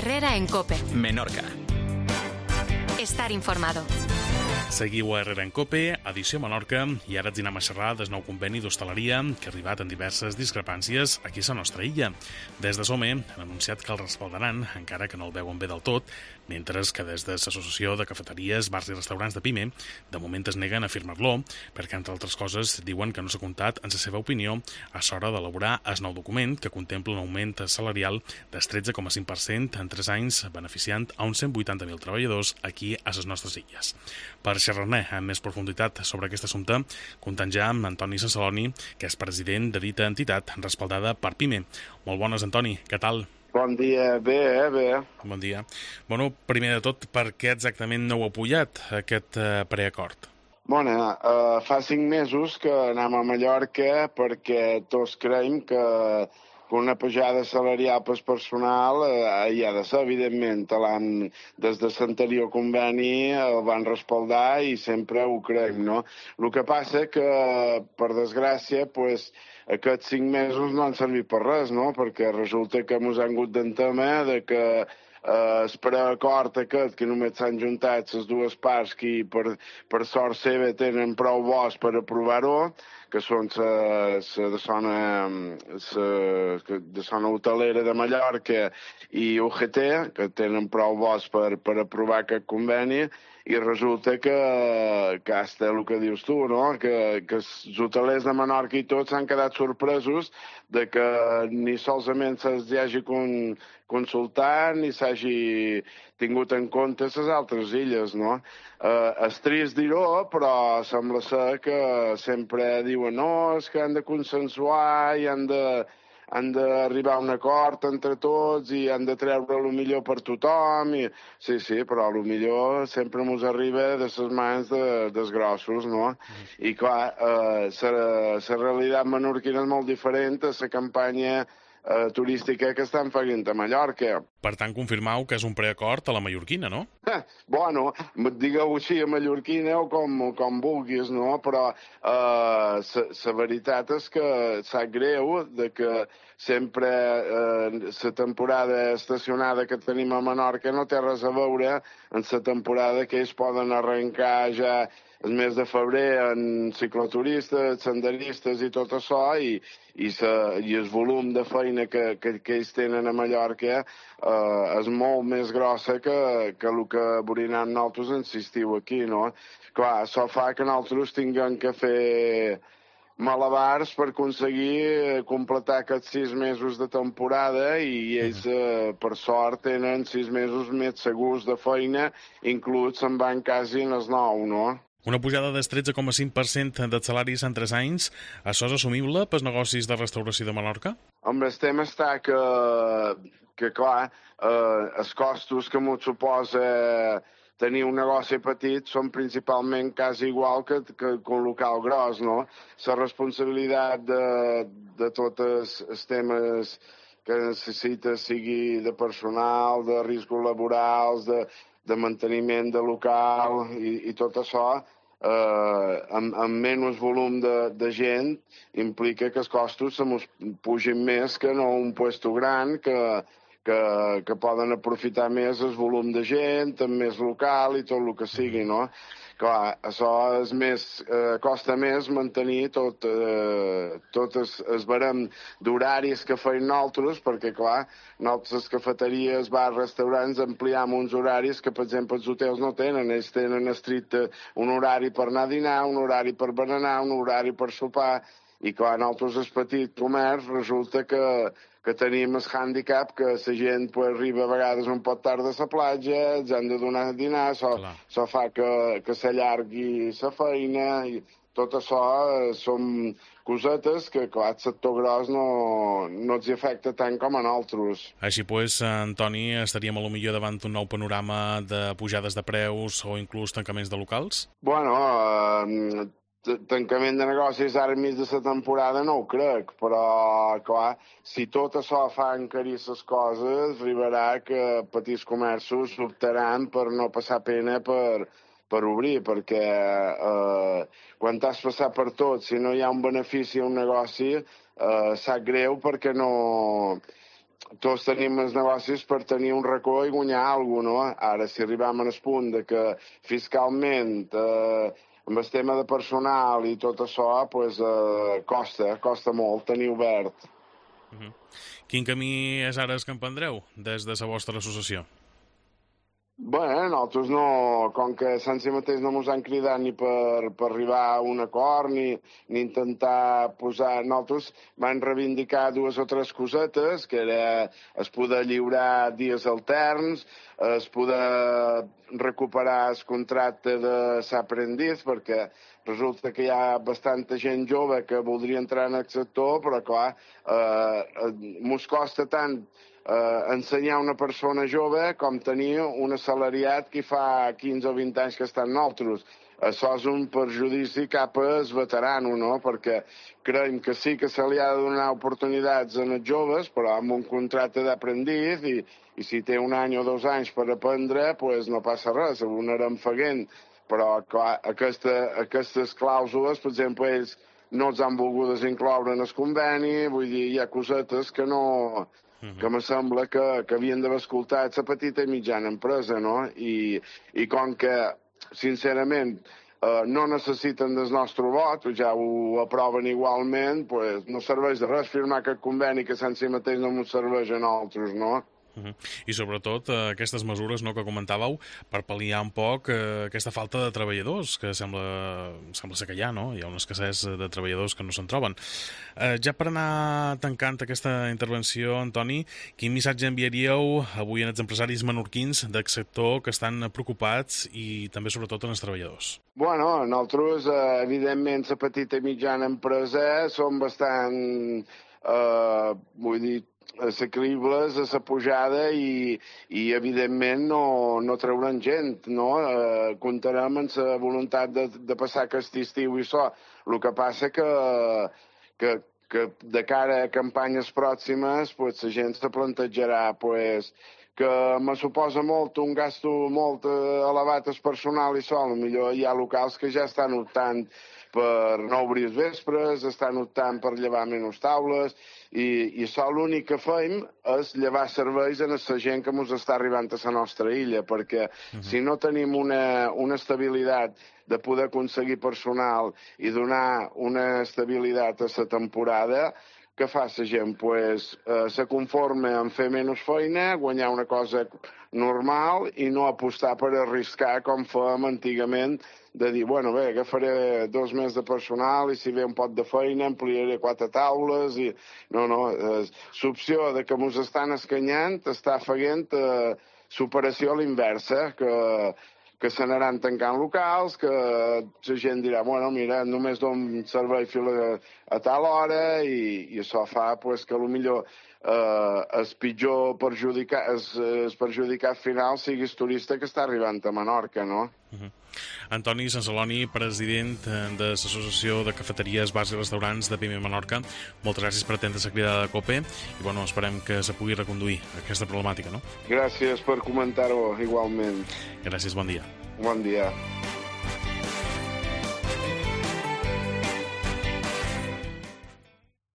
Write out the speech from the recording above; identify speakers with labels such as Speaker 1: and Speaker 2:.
Speaker 1: Herrera en COPE.
Speaker 2: Menorca.
Speaker 1: Estar informado.
Speaker 3: Seguiu a Herrera en COPE, edició Menorca, i ara ens anem a xerrar del nou conveni d'hostaleria que ha arribat en diverses discrepàncies aquí a la nostra illa. Des de SOME han anunciat que el respaldaran, encara que no el veuen bé del tot, mentre que des de l'Associació de Cafeteries, Bars i Restaurants de PIME de moment es neguen a firmar-lo, perquè, entre altres coses, diuen que no s'ha comptat, en la seva opinió, a l'hora d'elaborar el nou document que contempla un augment salarial del 13,5% en 3 anys, beneficiant a uns 180.000 treballadors aquí a les nostres illes. Per xerrar-ne amb més profunditat sobre aquest assumpte, comptant ja amb Antoni Sansaloni, que és president de dita entitat respaldada per PIME. Molt bones, Antoni, què tal?
Speaker 4: Bon dia, bé.
Speaker 3: Bon dia. Bueno, primer de tot, per què exactament no heu apoyat aquest preacord?
Speaker 4: Bueno, fa 5 mesos que anem a Mallorca perquè tots creiem que una pujada salarial per personal hi ha de ser, evidentment. Des de l'anterior conveni el van respaldar i sempre ho creiem, no? El que passa que, per desgràcia, aquests 5 mesos no han servit per res, no? Perquè resulta que ens han hagut d'entema de que el preacord aquest, que només s'han juntat les dues parts que per sort seva tenen prou bons per aprovar-ho, que són de zona hotelera de Mallorca i UGT, que tenen prou bons per aprovar aquest conveni, i resulta que hasta el que dius tu, no? Que els hotelers de Menorca i tots s'han quedat sorpresos de que ni solament se'ls hagi consultat ni s'hagi tingut en compte les altres illes, no? És trist dir-ho, però sembla ser que sempre diuen no, és que han de consensuar i han d'arribar a un acord entre tots i han de treure el millor per tothom. Sí, però el millor sempre ens arriba de les mans dels grossos, no? I clar, la realitat menorquina és molt diferent a la campanya turística que estan fent a Mallorca.
Speaker 3: Per tant, confirmau que és un preacord a la mallorquina, no?
Speaker 4: Bueno, digueu així a mallorquina o com vulguis, no? Però la veritat és que sap greu de que sempre la temporada estacionada que tenim a Menorca no té res a veure amb la temporada que ells poden arrencar ja el mes de febrer en cicloturistes, senderistes i tot això, i el volum de feina que ells tenen a Mallorca és molt més grossa que el que veurem nosaltres en l'estiu aquí, no? Clar, això fa que nosaltres tinguem que fer malabars per aconseguir completar aquests 6 mesos de temporada i ells, per sort, tenen 6 mesos més segurs de feina, inclús se'n van quasi en els 9, no?
Speaker 3: Una pujada del 13,5% dels salaris en 3 anys, això és assumible pels negocis de restauració de Menorca?
Speaker 4: Home, el tema està que clar, els costos que m'ho suposa tenir un negoci petit són principalment quasi igual que un local gros, no? La responsabilitat de tots els temes que necessita, sigui de personal, de riscos laborals, de manteniment de local i tot això, amb menys volum de gent, implica que els costos se mos pugin més que no un puesto gran que poden aprofitar més el volum de gent, amb més local i tot el que sigui, no? Clar, això és més, costa més mantenir tot el barem d'horaris que feim nosaltres, perquè, clar, nosaltres, les cafeteries, bars, restaurants, ampliem uns horaris que, per exemple, els hotels no tenen. Ells tenen estricte un horari per anar a dinar, un horari per berenar, un horari per sopar, i, clar, nosaltres, el petit comerç, resulta que tenim el hàndicap que la gent arriba a vegades un poc tard a la platja, ens han de donar a dinar, això fa que s'allargui la feina, i tot això són cosetes que, clar, el sector gros no els afecta tant com a nosaltres.
Speaker 3: Així pues, Antoni, estaríem a lo millor davant d'un nou panorama de pujades de preus o inclús tancaments de locals?
Speaker 4: Bueno, tancament de negocis ara enmig de la temporada no ho crec, però, clar, si tot això fa encarir les coses, arribarà que petits comerços optaran per no passar pena per obrir, perquè quan t'has passat per tot, si no hi ha un benefici a un negoci, sap greu perquè no tots tenim els negocis per tenir un racó i guanyar alguna cosa, no? Ara, si arribem al punt de que fiscalment, amb el tema de personal i tot això, pues, costa molt tenir obert.
Speaker 3: Quin camí és ara el que emprendreu des de la vostra associació?
Speaker 4: Bé, nosaltres no, com que sense mateix no ens han cridat ni per arribar a un acord, ni intentar posar... Nosaltres vam reivindicar 2 o 3 cosetes, que era es poder lliurar dies alterns, es poder recuperar el contracte de s'aprendiz, perquè resulta que hi ha bastanta gent jove que voldria entrar en el sector, però clar, mos costa tant ensenyar una persona jove com tenir un assalariat que fa 15 o 20 anys que està en nosaltres. Això és un perjudici cap al veterano, no? Perquè creiem que sí que se li ha de donar oportunitats als joves, però amb un contracte d'aprendiz i si té 1 any o 2 anys per aprendre, pues no passa res, ho anarem fent. Però clar, aquestes clàusules, per exemple, ells no els han volgut incloure en el conveni, vull dir, hi ha cosetes que no... que me sembla que havien d'haver escoltat la petita i mitjana empresa, no? I com que, sincerament, no necessiten del nostre vot, ja ho aproven igualment, pues no serveix de res firmar aquest conveni que sense mateix no ens serveix a nosaltres, no?
Speaker 3: I sobretot aquestes mesures, no, que comentàveu per pal·liar un poc aquesta falta de treballadors que sembla ser que hi ha, no? Hi ha una escassez de treballadors que no se'n troben. Ja per anar tancant aquesta intervenció, Antoni, quin missatge enviaríeu avui als empresaris menorquins del sector que estan preocupats i també sobretot als treballadors?
Speaker 4: Bueno, nosaltres, evidentment, la petita i mitjana empresa som bastant, vull dir, assequibles a la pujada i evidentment no trauran gent, no? Comptarem amb la voluntat de passar aquest estiu i això. El que passa que de cara a campanyes pròximes pues, la gent se plantejarà pues, que me suposa molt un gasto molt elevat al personal i això. Potser hi ha locals que ja estan optant per no obrir els vespres, estan optant per llevar menys taules, i això l'únic que fem és llevar serveis a la gent que ens està arribant a la nostra illa, perquè si no tenim una estabilitat de poder aconseguir personal i donar una estabilitat a la temporada, què fa la gent? Pues, se conforma en fer menys feina, guanyar una cosa normal i no apostar per arriscar com fèiem antigament de dir, bueno, bé, agafaré 2 mesos de personal i si ve un pot de feina ampliaré 4 taules i... No, l'opció de que ens estan escanyant està fent superació a l'inversa, que se n'anaran tancant locals, que la gent dirà, bueno, mira, només dono servei fins a tal hora i això fa pues, que potser el pitjor perjudicat final sigui el turista que està arribant a Menorca, no?
Speaker 3: Antoni Sansaloni, president de l'Associació de Cafeteries, Bars i Restaurants de PIME Menorca, moltes gràcies per atendre la cridada de COPE i bueno, esperem que se pugui reconduir aquesta problemàtica, no?
Speaker 4: Gràcies per comentar-ho igualment.
Speaker 3: Gràcies, bon dia.
Speaker 4: Bon dia.